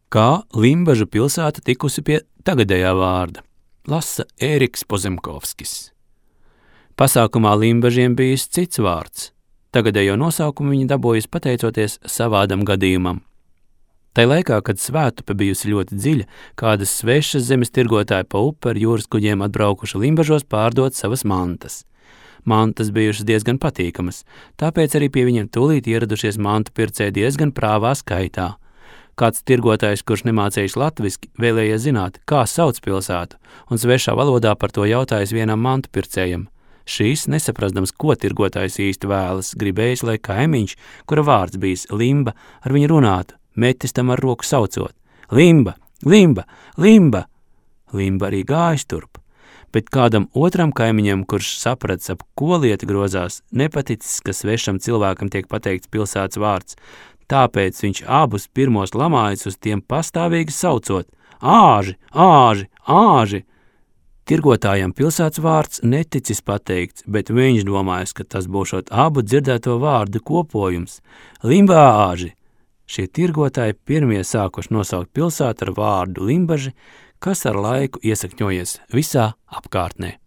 Kā Limbažu pilsēta tikusi pie tagadējā vārda, lasa Ēriks Pozemkovskis. Pasākumā Limbažiem bijis cits vārds. Tagadējo nosaukumu viņi dabūjis pateicoties savādam gadījumam. Tai laikā, kad Svētupe bijusi ļoti dziļa, kādas svešas zemes tirgotāji pa upi ar jūras kuģiem atbraukuši Limbažos pārdot savas mantas. Mantas bijušas diezgan patīkamas, tāpēc arī pie viņiem tūlīt ieradušies mantu pircēji diezgan prāvā skaitā. Kāds tirgotājs, kurš nemācējis latviski, vēlējies zināt, kā sauc pilsētu, un svešā valodā par to jautājis vienam mantu pircējam. Šīs, nesaprastams, ko tirgotājs īsti vēlas, gribējis, lai kaimiņš, kura vārds bijis Limba, ar viņu runātu, metis tam ar roku saucot. Limba, Limba, Limba! Limba arī gājis turp, bet kādam otram kaimiņam, kurš saprats, ap ko lieta grozās, nepaticis, ka svešam cilvēkam tiek pateikts pilsētas vārds, tāpēc viņš abus pirmos lamājis uz tiem pastāvīgi saucot: āži, āži, āži! Tirgotājam pilsētas vārds neticis pateikts, bet viņš domājis, ka tas būšot abu dzirdēto vārdu kopojums – Limbāži. Šie tirgotāji pirmie sākuši nosaukt pilsētu ar vārdu Limbaži, kas ar laiku iesakņojies visā apkārtnē.